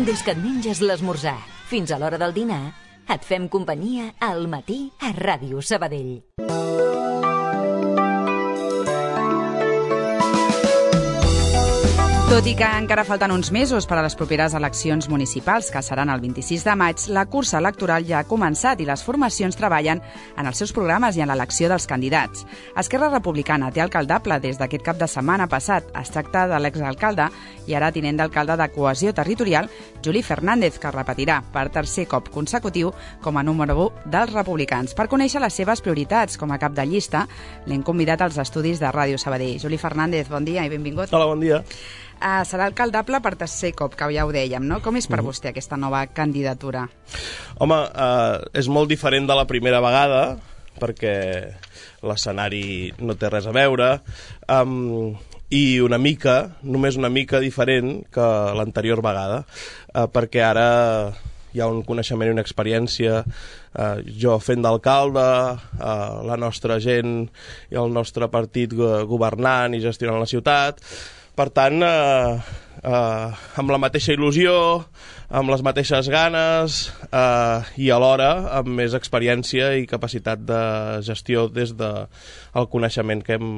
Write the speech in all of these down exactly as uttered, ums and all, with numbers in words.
Des que et menges l'esmorzar fins a l'hora del dinar, et fem companyia al matí a Ràdio Sabadell. Tot i que encara falten uns mesos per a les properes eleccions municipals, que seran el vint-i-sis de maig, la cursa electoral ja ha començat i les formacions treballen en els seus programes i en l'elecció dels candidats. Esquerra Republicana té alcaldable des d'aquest cap de setmana passat. Es tracta de l'exalcalde i ara tinent d'alcalde de Cohesió Territorial, Juli Fernández, que repetirà per tercer cop consecutiu com a número u dels republicans. Per conèixer les seves prioritats com a cap de llista, l'hem convidat als estudis de Ràdio Sabadell. Juli Fernández, bon dia i benvingut. Hola, bon dia. Uh, serà alcaldable per tercer cop, que ja ho dèiem, no? Com és per mm. vostè aquesta nova candidatura? Home, uh, és molt diferent de la primera vegada, perquè l'escenari no té res a veure, um, i una mica, només una mica diferent que l'anterior vegada, uh, perquè ara hi ha un coneixement i una experiència, uh, jo fent d'alcalde, uh, la nostra gent i el nostre partit governant i gestionant la ciutat. Per tant, eh, eh, amb la mateixa il·lusió, amb les mateixes ganes eh, i alhora amb més experiència i capacitat de gestió des del coneixement que hem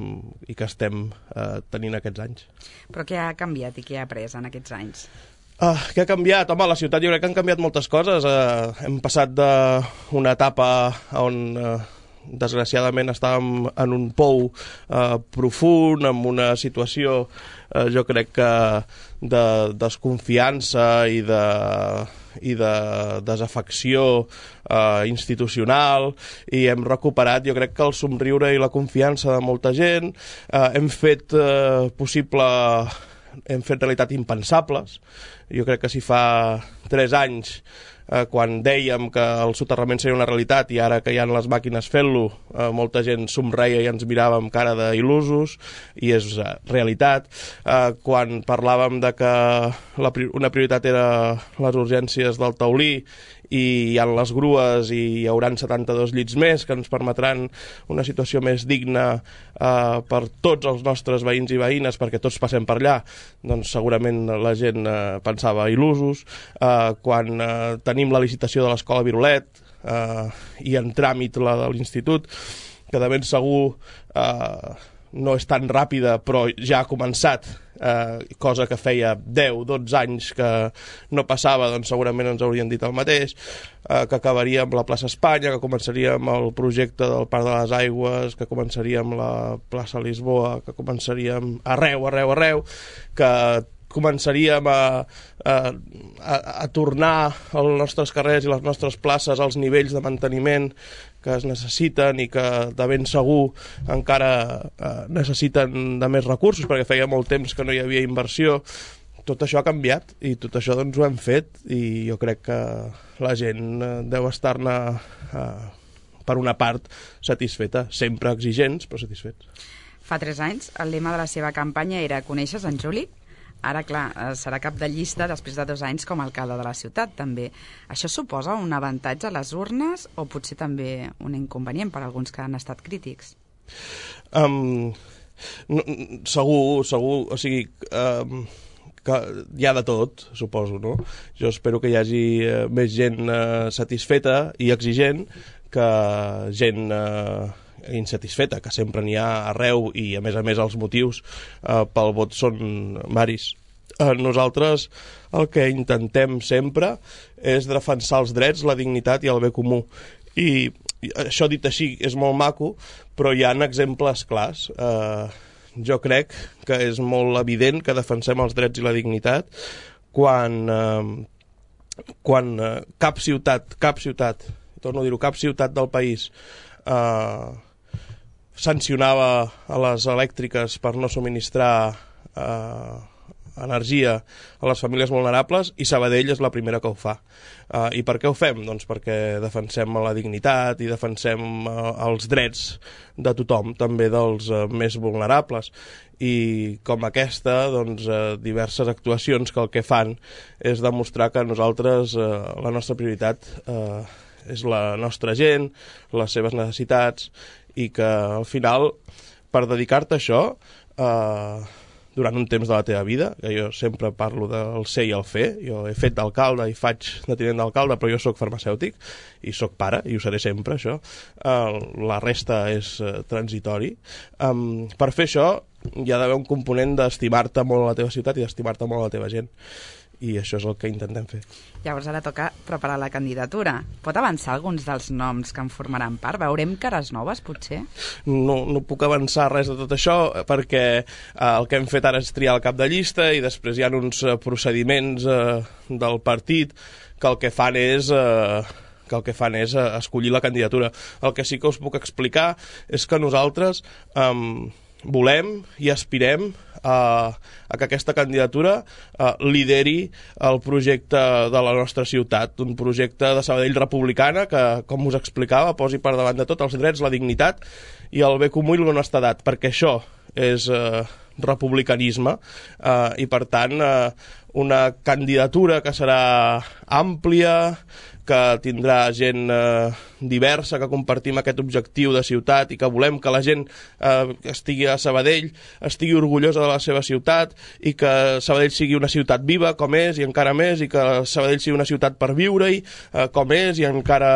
i que estem eh, tenint aquests anys. Però què ha canviat i què ha après en aquests anys? Uh, què ha canviat? Home, a la ciutat jo crec que han canviat moltes coses. Uh, hem passat d'una etapa on uh, desgraciadament estàvem en un pou uh, profund, amb una situació uh, jo crec que de desconfiança i de, i de desafecció uh, institucional, i hem recuperat jo crec que el somriure i la confiança de molta gent. Uh, hem fet uh, possible hem fet realitat impensables. Jo crec que si fa tres anys, eh, quan dèiem que el soterrament seria una realitat, i ara que hi ha les màquines fent-lo, eh, molta gent somreia i ens mirava amb cara d'il·lusos, i és eh, realitat. Eh, quan parlàvem de que la, una prioritat era les urgències del Taulí, i hi ha les grues i hi haurà setanta-dos llits més que ens permetran una situació més digna eh, per tots els nostres veïns i veïnes, perquè tots passem per allà, doncs segurament la gent eh, pensava il·lusos. Eh, quan eh, tenim la licitació de l'escola Virolet eh, i en tràmit la de l'institut, que de ben segur eh, no és tan ràpida, però ja ha començat, eh, cosa que feia deu dotze anys que no passava, doncs segurament ens haurien dit el mateix, eh, que acabaria amb la plaça Espanya, que començaria amb el projecte del Parc de les Aigües, que començaria amb la plaça Lisboa, que començaria amb arreu, arreu, arreu, que començaríem a, a, a, a tornar als nostres carrers i les nostres places als nivells de manteniment que es necessiten i que de ben segur encara eh, necessiten de més recursos, perquè feia molt temps que no hi havia inversió. Tot això ha canviat i tot això doncs ho hem fet, i jo crec que la gent eh, deu estar-ne eh, per una part satisfeta, sempre exigents però satisfets. Fa tres anys el lema de la seva campanya era "Coneixes en Juli?". Ara, clar, serà cap de llista després de dos anys com a alcalde de la ciutat, també. Això suposa un avantatge a les urnes o potser també un inconvenient per a alguns que han estat crítics? Um, no, segur, segur, o sigui, um, que hi ha de tot, suposo, no? Jo espero que hi hagi uh, més gent uh, satisfeta i exigent que gent Uh, insatisfeta, que sempre n'hi ha arreu, i a més a més els motius eh, pel vot són varis. Eh, nosaltres el que intentem sempre és defensar els drets, la dignitat i el bé comú, i, i això dit així és molt maco, però hi ha exemples clars. Eh, jo crec que és molt evident que defensem els drets i la dignitat quan, eh, quan eh, cap ciutat, cap ciutat, torno a dir-ho, cap ciutat del país eh, sancionava a les elèctriques per no subministrar eh, energia a les famílies vulnerables, i Sabadell és la primera que ho fa. Eh, I per què ho fem? Doncs perquè defensem la dignitat i defensem eh, els drets de tothom, també dels eh, més vulnerables. I com aquesta, doncs, eh, diverses actuacions que el que fan és demostrar que nosaltres, eh, la nostra prioritat eh, és la nostra gent, les seves necessitats, i que al final, per dedicar-te a això, eh, durant un temps de la teva vida, que jo sempre parlo del ser i el fer. Jo he fet d'alcalde i faig de tinent d'alcalde, però jo sóc farmacèutic i sóc pare, i ho seré sempre, això. Uh, la resta és uh, transitori. Um, per fer això hi ha d'haver un component d'estimar-te molt a la teva ciutat i d'estimar-te molt a la teva gent. I això és el que intentem fer. Llavors ara toca preparar la candidatura. Pot avançar alguns dels noms que en formaran part? Veurem cares noves, potser? No, no puc avançar res de tot això perquè eh, el que hem fet ara és triar el cap de llista i després hi ha uns eh, procediments eh, del partit que el que fan és... Eh, que el que fan és eh, escollir la candidatura. El que sí que us puc explicar és que nosaltres eh, volem i aspirem a, a que aquesta candidatura uh, lideri el projecte de la nostra ciutat, un projecte de Sabadell republicana que, com us explicava, posi per davant de tot els drets, la dignitat i el bé comú i l'honestedat, perquè això és uh, republicanisme uh, i per tant uh, una candidatura que serà àmplia, que tindrà gent eh, diversa, que compartim aquest objectiu de ciutat i que volem que la gent eh, que estigui a Sabadell estigui orgullosa de la seva ciutat i que Sabadell sigui una ciutat viva, com és, i encara més, i que Sabadell sigui una ciutat per viure-hi, eh, com és, i encara,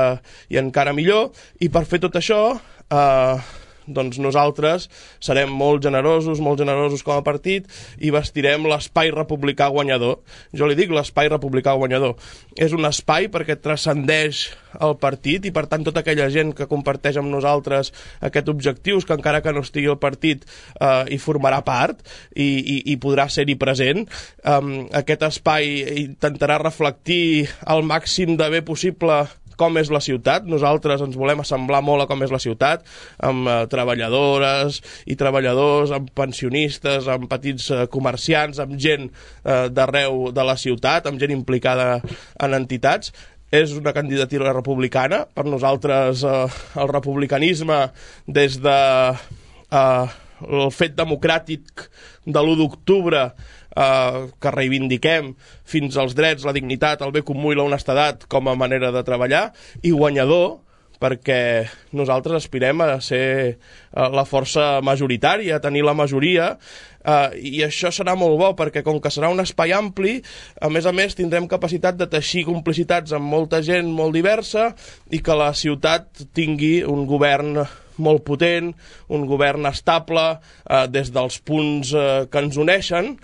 i encara millor. I per fer tot això... Eh, doncs nosaltres serem molt generosos, molt generosos com a partit i vestirem l'espai republicà guanyador. Jo li dic l'espai republicà guanyador. És un espai perquè transcendeix el partit i per tant tota aquella gent que comparteix amb nosaltres aquest objectiu, que encara que no estigui al partit eh, hi formarà part i, i, i podrà ser-hi present. Um, aquest espai intentarà reflectir al màxim de bé possible com és la ciutat. Nosaltres ens volem assemblar molt a com és la ciutat, amb eh, treballadores i treballadors, amb pensionistes, amb petits eh, comerciants, amb gent eh, d'arreu de la ciutat, amb gent implicada en entitats. És una candidatura republicana. Per nosaltres eh, el republicanisme des de eh, el fet democràtic de l'u d'octubre Uh, que reivindiquem fins als drets, la dignitat, el bé comú i la honestedat com a manera de treballar, i guanyador perquè nosaltres aspirem a ser uh, la força majoritària, a tenir la majoria, uh, i això serà molt bo perquè com que serà un espai ampli, a més a més tindrem capacitat de teixir complicitats amb molta gent molt diversa i que la ciutat tingui un govern molt potent, un govern estable eh, des dels punts eh, que ens uneixen,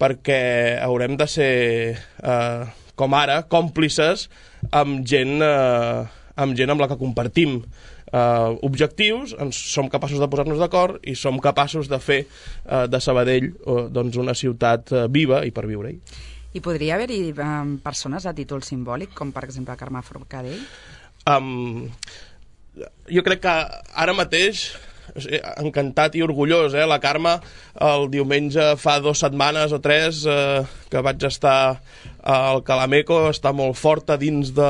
perquè haurem de ser, eh, com ara, còmplices amb gent, eh, amb gent amb la que compartim eh, objectius, ens som capaços de posar-nos d'acord i som capaços de fer eh, de Sabadell eh, doncs una ciutat eh, viva i per viure-hi. I podria haver-hi um, persones a títol simbòlic, com per exemple Carme Forcadell? Um, jo crec que ara mateix, encantat i orgullós, eh? La Carme el diumenge fa dues setmanes o tres eh, que vaig estar al Calameco, està molt forta dins de,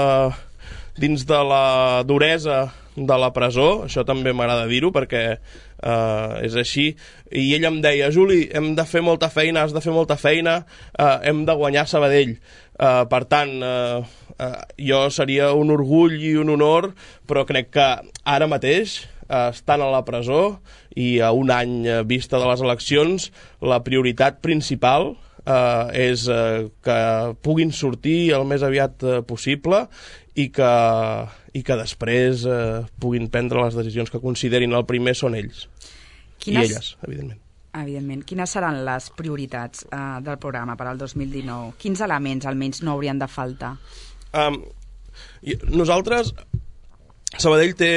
dins de la duresa de la presó. Això també m'agrada dir-ho perquè eh, és així, i ell em deia: Juli, hem de fer molta feina, has de fer molta feina, eh, hem de guanyar Sabadell. Uh, per tant, uh, uh, jo seria un orgull i un honor, però crec que ara mateix, uh, estant a la presó i a un any uh, vista de les eleccions, la prioritat principal uh, és uh, que puguin sortir el més aviat uh, possible i que, i que després uh, puguin prendre les decisions que considerin. El primer són ells. Quines... i elles, evidentment. Evidentment. Quines seran les prioritats uh, del programa per al dos mil dinou? Quins elements almenys no haurien de faltar? Um, nosaltres, Sabadell té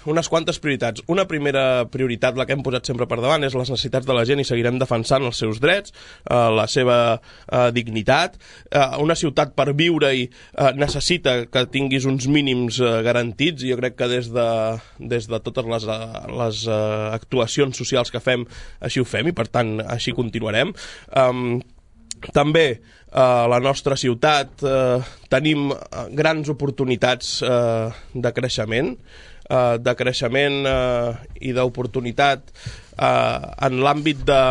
unes quantes prioritats. Una primera prioritat, la que hem posat sempre per davant, és les necessitats de la gent i seguirem defensant els seus drets, uh, la seva uh, dignitat. Uh, una ciutat per viure-hi uh, necessita que tinguis uns mínims uh, garantits, i jo crec que des de, des de totes les, uh, les uh, actuacions socials que fem, així ho fem, i per tant així continuarem. Um, També a la nostra ciutat eh, tenim grans oportunitats eh, de creixement, eh, de creixement eh, i d'oportunitat eh, en l'àmbit de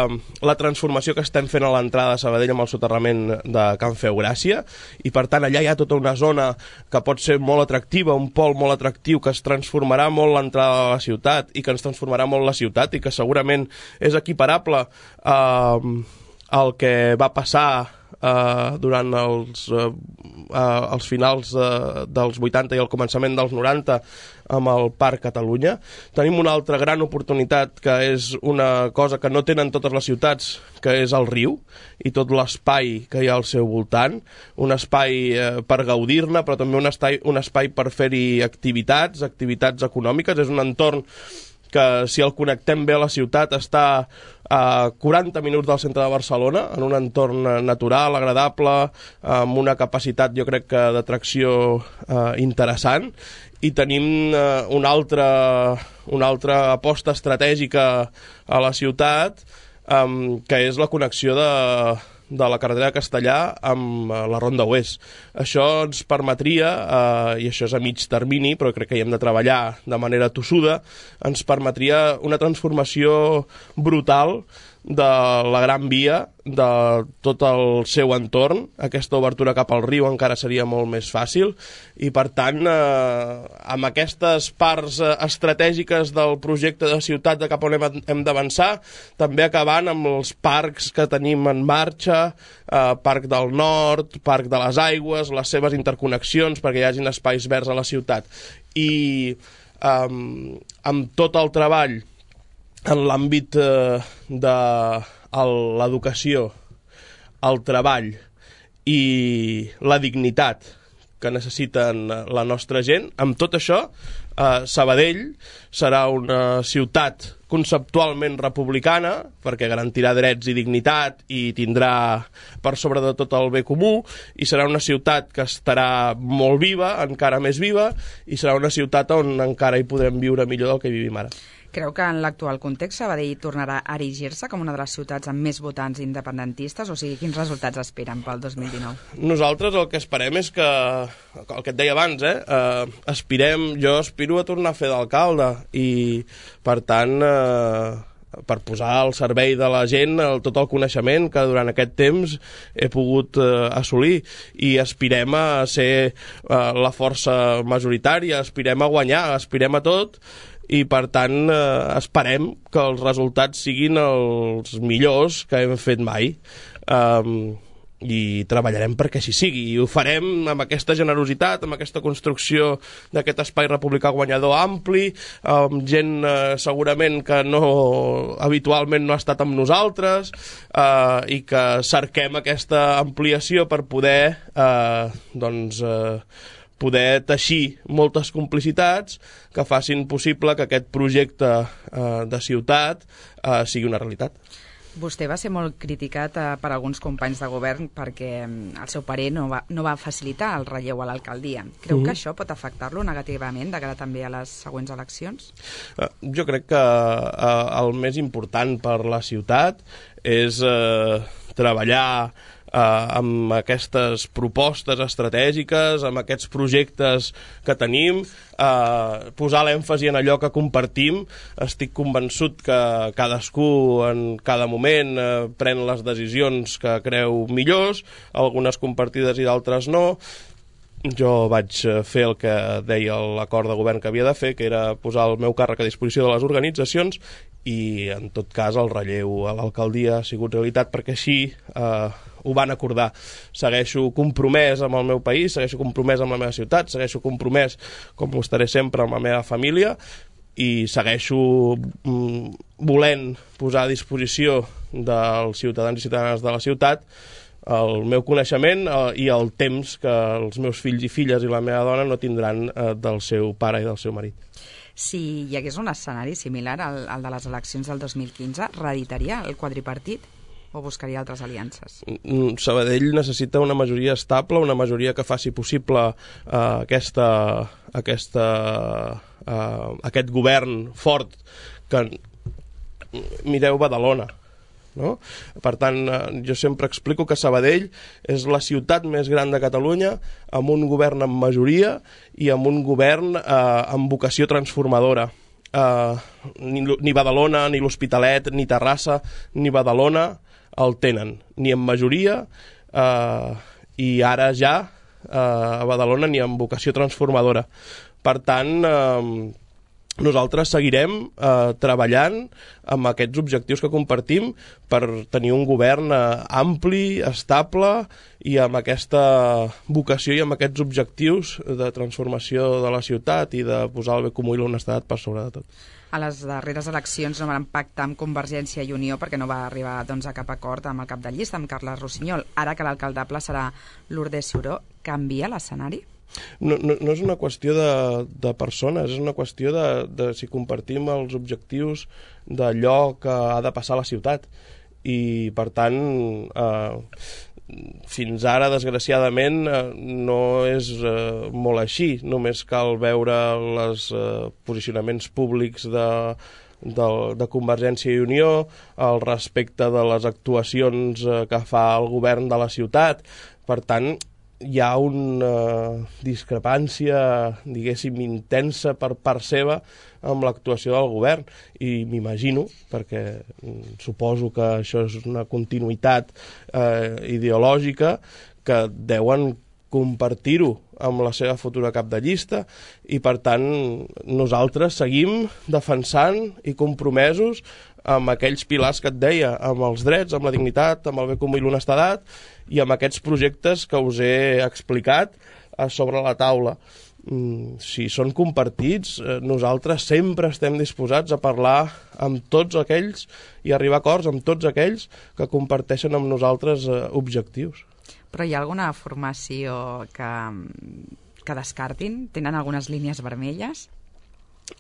la transformació que estem fent a l'entrada de Sabadell amb el soterrament de Can Feu Gràcia, i per tant allà hi ha tota una zona que pot ser molt atractiva, un pol molt atractiu que es transformarà molt l'entrada de la ciutat i que ens transformarà molt la ciutat i que segurament és equiparable a... Eh, el que va passar Uh, durant els, uh, uh, els finals uh, dels vuitanta i el començament dels noranta amb el Parc Catalunya. Tenim una altra gran oportunitat, que és una cosa que no tenen totes les ciutats, que és el riu i tot l'espai que hi ha al seu voltant, un espai uh, per gaudir-ne, però també un espai, un espai per fer-hi activitats, activitats econòmiques. És un entorn que, si el connectem bé a la ciutat, està a quaranta minuts del centre de Barcelona, en un entorn natural, agradable, amb una capacitat, jo crec que, d'atracció eh, interessant, i tenim eh, una, altra, una altra aposta estratègica a la ciutat, eh, que és la connexió de, de la carretera de Castellà amb eh, la Ronda Oest. Això ens permetria, eh, i això és a mig termini, però crec que hi hem de treballar de manera tossuda, ens permetria una transformació brutal de la Gran Via, de tot el seu entorn. Aquesta obertura cap al riu encara seria molt més fàcil, i per tant, eh, amb aquestes parts estratègiques del projecte de ciutat de cap on hem, hem d'avançar, també acabant amb els parcs que tenim en marxa, eh, Parc del Nord, Parc de les Aigües, les seves interconnexions perquè hi hagin espais verds a la ciutat. I eh, amb tot el treball en l'àmbit eh, de l'educació, el treball i la dignitat que necessiten la nostra gent, amb tot això, eh, Sabadell serà una ciutat conceptualment republicana, perquè garantirà drets i dignitat i tindrà per sobre de tot el bé comú, i serà una ciutat que estarà molt viva, encara més viva, i serà una ciutat on encara hi podrem viure millor del que vivim ara. Creu que en l'actual context Sabadell tornarà a erigir-se com una de les ciutats amb més votants independentistes? O sigui, quins resultats esperen pel dos mil dinou? Nosaltres el que esperem és que, el que et deia abans, eh, eh, aspirem, jo aspiro a tornar a fer d'alcalde, i per tant, eh, per posar al servei de la gent el, tot el coneixement que durant aquest temps he pogut eh, assolir, i aspirem a ser eh, la força majoritària, aspirem a guanyar, aspirem a tot, i per tant eh, esperem que els resultats siguin els millors que hem fet mai, um, i treballarem perquè així sigui, i ho farem amb aquesta generositat, amb aquesta construcció d'aquest espai republicà guanyador ampli, amb gent eh, segurament que no habitualment no ha estat amb nosaltres, eh, i que cerquem aquesta ampliació per poder eh, doncs eh, poder teixir moltes complicitats que facin possible que aquest projecte eh, de ciutat eh, sigui una realitat. Vostè va ser molt criticat eh, per alguns companys de govern perquè el seu parer no va, no va facilitar el relleu a l'alcaldia. Creu mm-hmm. que això pot afectar-lo negativament de cara també a les següents eleccions? Eh, jo crec que eh, el més important per la ciutat és eh, treballar Uh, amb aquestes propostes estratègiques, amb aquests projectes que tenim, uh, posar l'èmfasi en allò que compartim. Estic convençut que cadascú en cada moment uh, pren les decisions que creu millors, algunes compartides i d'altres no. Jo vaig fer el que deia l'acord de govern que havia de fer, que era posar el meu càrrec a disposició de les organitzacions, i en tot cas el relleu a l'alcaldia ha sigut realitat perquè així eh, ho van acordar. Segueixo compromès amb el meu país, segueixo compromès amb la meva ciutat, segueixo compromès, com ho estaré sempre, amb la meva família, i segueixo mm, volent posar a disposició dels ciutadans i ciutadanes de la ciutat el meu coneixement eh, i el temps que els meus fills i filles i la meva dona no tindran eh, del seu pare i del seu marit. Si hi hagués un escenari similar al, al de les eleccions del dos mil quinze, reeditaria el quadripartit o buscaria altres aliances? Sabadell necessita una majoria estable, una majoria que faci possible eh, aquesta, aquesta, eh, aquest govern fort que... Mireu Badalona. No? Per tant, jo sempre explico que Sabadell és la ciutat més gran de Catalunya, amb un govern en majoria i amb un govern eh, amb vocació transformadora. Eh, ni, ni Badalona, ni l'Hospitalet, ni Terrassa, ni Badalona el tenen, ni en majoria, eh, i ara ja eh, a Badalona ni amb vocació transformadora. Per tant, eh, nosaltres seguirem eh, treballant amb aquests objectius que compartim per tenir un govern eh, ampli, estable i amb aquesta vocació i amb aquests objectius de transformació de la ciutat i de posar el bé comú i l'honestedat per sobre de tot. A les darreres eleccions no van pactar amb Convergència i Unió perquè no va arribar doncs, a cap acord amb el cap de llista, amb Carles Rossinyol. Ara que l'alcaldable serà Lourdes Ciuró, canvia l'escenari? No, no, no és una qüestió de, de persones, és una qüestió de, de si compartim els objectius d'allò que ha de passar a la ciutat. I, per tant, eh, fins ara, desgraciadament, eh, no és eh, molt així. Només cal veure els eh, posicionaments públics de, de, de Convergència i Unió, al respecte de les actuacions eh, que fa el govern de la ciutat. Per tant, hi ha una discrepància, diguéssim, intensa per part seva amb l'actuació del govern i m'imagino, perquè suposo que això és una continuïtat eh, ideològica, que deuen compartir-ho amb la seva futura cap de llista i, per tant, nosaltres seguim defensant i compromesos amb aquells pilars que et deia, amb els drets, amb la dignitat, amb el bé comú i l'honestedat i amb aquests projectes que us he explicat eh, sobre la taula. Mm, si són compartits, eh, nosaltres sempre estem disposats a parlar amb tots aquells i arribar a acords amb tots aquells que comparteixen amb nosaltres eh, objectius. Però hi ha alguna formació que, que descartin? Tenen algunes línies vermelles?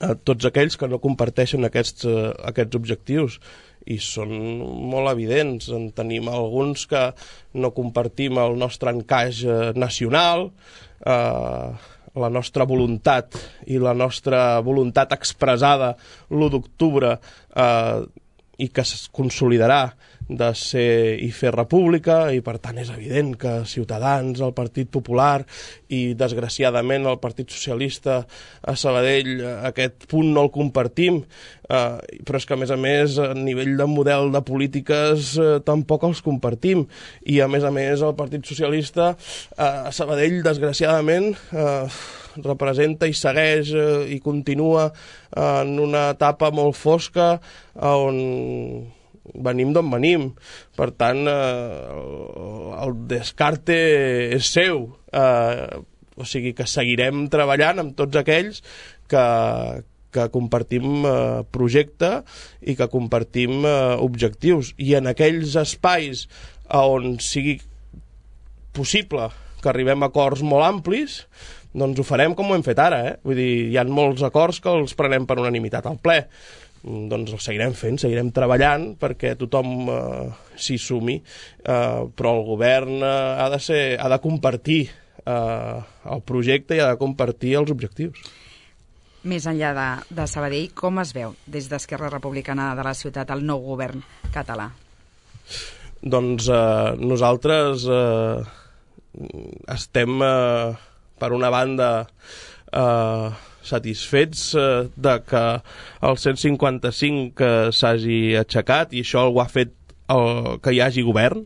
A tots aquells que no comparteixen aquests, uh, aquests objectius i són molt evidents. En tenim alguns que no compartim el nostre encaix uh, nacional, uh, la nostra voluntat i la nostra voluntat expressada l'u d'octubre uh, i que es consolidarà de ser i fer república, i per tant és evident que Ciutadans, el Partit Popular i desgraciadament el Partit Socialista a Sabadell aquest punt no el compartim, eh, però és que a més a més a nivell de model de polítiques eh, tampoc els compartim, i a més a més el Partit Socialista eh, a Sabadell desgraciadament eh, representa i segueix eh, i continua eh, en una etapa molt fosca on venim d'on venim. Per tant, eh, el descarte és seu. Eh, o sigui que seguirem treballant amb tots aquells que, que compartim eh, projecte i que compartim eh, objectius. I en aquells espais on sigui possible que arribem a acords molt amplis, doncs ho farem com ho hem fet ara. Eh? Vull dir, hi ha molts acords que els prenem per unanimitat al ple. Doncs el seguirem fent, seguirem treballant perquè tothom eh, s'hi sumi, eh, però el govern eh, ha de ser, ha de compartir eh, el projecte i ha de compartir els objectius. Més enllà de, de Sabadell, com es veu des d'Esquerra Republicana de la ciutat el nou govern català? Doncs eh, nosaltres eh, estem, eh, per una banda, eh, satisfets eh, de que el cent cinquanta-cinc eh, s'hagi aixecat, i això ho ha fet el, que hi hagi govern,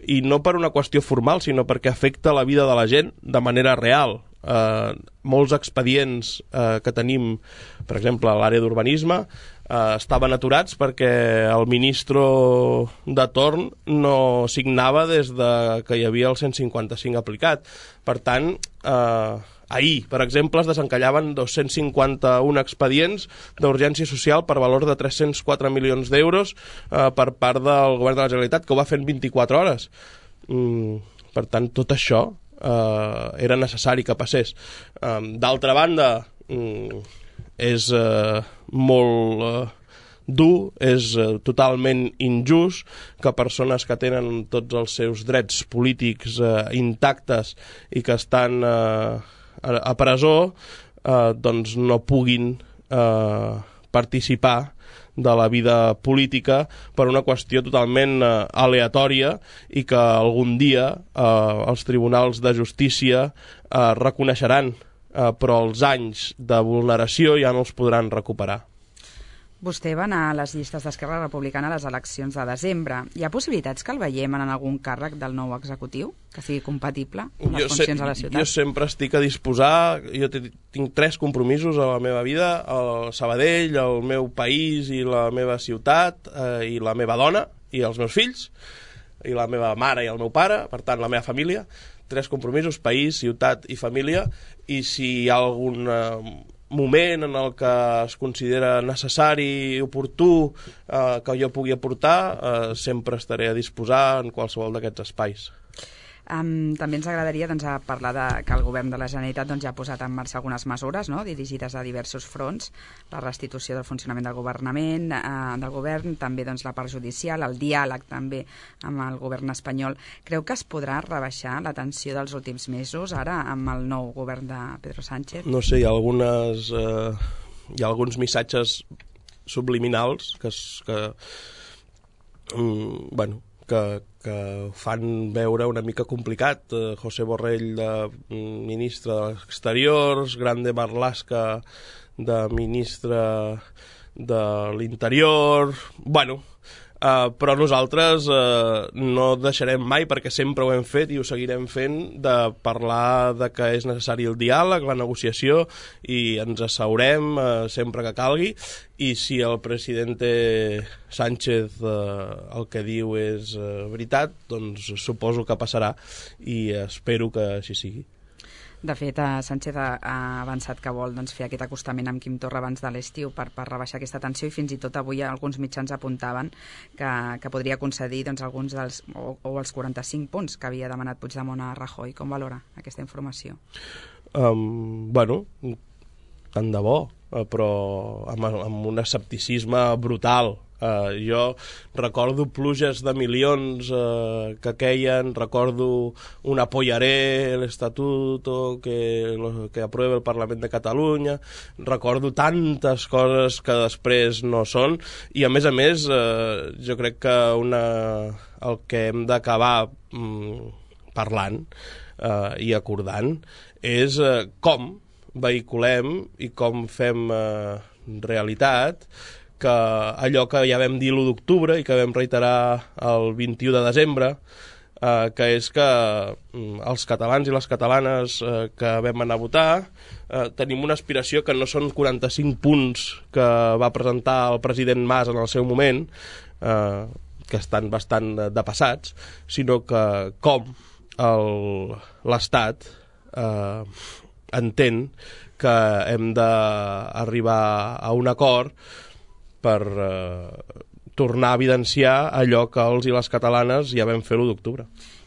i no per una qüestió formal, sinó perquè afecta la vida de la gent de manera real. Eh, molts expedients eh, que tenim, per exemple, a l'àrea d'urbanisme, eh, estaven aturats perquè el ministre de torn no signava des de que hi havia el cent cinquanta-cinc aplicat. Per tant, eh, ahir, per exemple, es desencallaven dos-cents cinquanta-un expedients d'urgència social per valor de tres-cents quatre milions d'euros eh, per part del govern de la Generalitat, que ho va fer en vint-i-quatre hores. Mm, per tant, tot això eh, era necessari que passés. Eh, D'altra banda, mm, és eh, molt eh, dur, és eh, totalment injust que persones que tenen tots els seus drets polítics eh, intactes i que estan eh, a presó, eh, doncs no puguin eh, participar de la vida política per una qüestió totalment eh, aleatòria, i que algun dia eh, els tribunals de justícia eh, reconeixeran, eh, però els anys de vulneració ja no els podran recuperar. Vostè va anar a les llistes d'Esquerra Republicana a les eleccions de desembre. Hi ha possibilitats que el veiem en algun càrrec del nou executiu, que sigui compatible amb les jo funcions se, a la ciutat? Jo sempre estic a disposar, jo tinc tres compromisos a la meva vida, el Sabadell, el meu país i la meva ciutat, eh, i la meva dona i els meus fills, i la meva mare i el meu pare, per tant la meva família. Tres compromisos: país, ciutat i família. I si hi ha algun eh, moment en el que es considera necessari i oportú eh, que jo pugui aportar, eh, sempre estaré a disposar en qualsevol d'aquests espais. Um, també ens agradaria doncs, a parlar de que el govern de la Generalitat doncs, ja ha posat en marxa algunes mesures, no?, dirigides a diversos fronts: la restitució del funcionament del governament, eh, del govern, també doncs, la part judicial, el diàleg també amb el govern espanyol. Creu que es podrà rebaixar la tensió dels últims mesos ara amb el nou govern de Pedro Sánchez? No sé, hi ha, algunes, eh, hi ha alguns missatges subliminals que, que, mm, bueno, que, que fan veure una mica complicat. Eh, José Borrell, de ministre d'Exteriors, Grande Marlaska, de ministre de l'Interior... Bueno, Uh, però nosaltres uh, no deixarem mai, perquè sempre ho hem fet i ho seguirem fent, de parlar de que és necessari el diàleg, la negociació, i ens asseurem uh, sempre que calgui, i si el president Sánchez uh, el que diu és uh, veritat, doncs suposo que passarà, i espero que així sigui. De fet, Sánchez ha, ha avançat que vol doncs, fer aquest acostament amb Quim Torra abans de l'estiu per, per rebaixar aquesta tensió, i fins i tot avui alguns mitjans apuntaven que, que podria concedir doncs, alguns dels, o, o els quaranta-cinc punts que havia demanat Puigdemont a Rajoy. Com valora aquesta informació? Um, bueno, tant de bo, però amb, amb un escepticisme brutal. Uh, jo recordo pluges de milions uh, que queien, recordo un apoyaré el estatuto que, que aprueba el Parlament de Catalunya, recordo tantes coses que després no són, i a més a més uh, jo crec que una, el que hem d'acabar um, parlant uh, i acordant és uh, com vehiculem i com fem uh, realitat que allò que ja vam dir l'u d'octubre i que vam reiterar el vint-i-u de desembre, eh, que és que mm, els catalans i les catalanes eh, que vam anar a votar eh, tenim una aspiració que no són quaranta-cinc punts que va presentar el president Mas en el seu moment, eh, que estan bastant depassats, sinó que com l'Estat eh, entén que hem d'arribar a un acord per eh, tornar a evidenciar allò que els i les catalanes ja vam fer l'u d'octubre.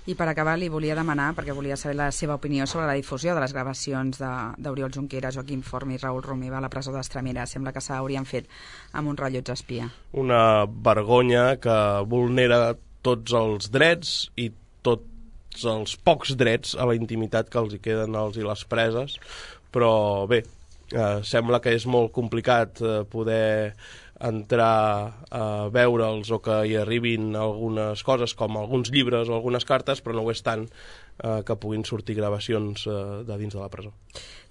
I per acabar li volia demanar, perquè volia saber la seva opinió sobre la difusió de les gravacions d'Oriol Junqueras, Joaquim Forn i Raül Romeva a la presó d'Estremera. Sembla que s'haurien fet amb un rellotge espia. Una vergonya que vulnera tots els drets i tots els pocs drets a la intimitat que els hi queden als i les preses, però bé, eh, sembla que és molt complicat eh, poder entrar a veure'ls o que hi arribin algunes coses com alguns llibres o algunes cartes, però no ho és tant eh, que puguin sortir gravacions eh, de dins de la presó.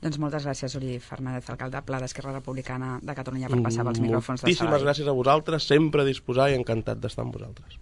Doncs moltes gràcies, Uri Fernández, alcalde Pla d'Esquerra Republicana de Catalunya, per passar pels micròfons de Sabadell. Moltíssimes gràcies a vosaltres, sempre a disposar i encantat d'estar amb vosaltres.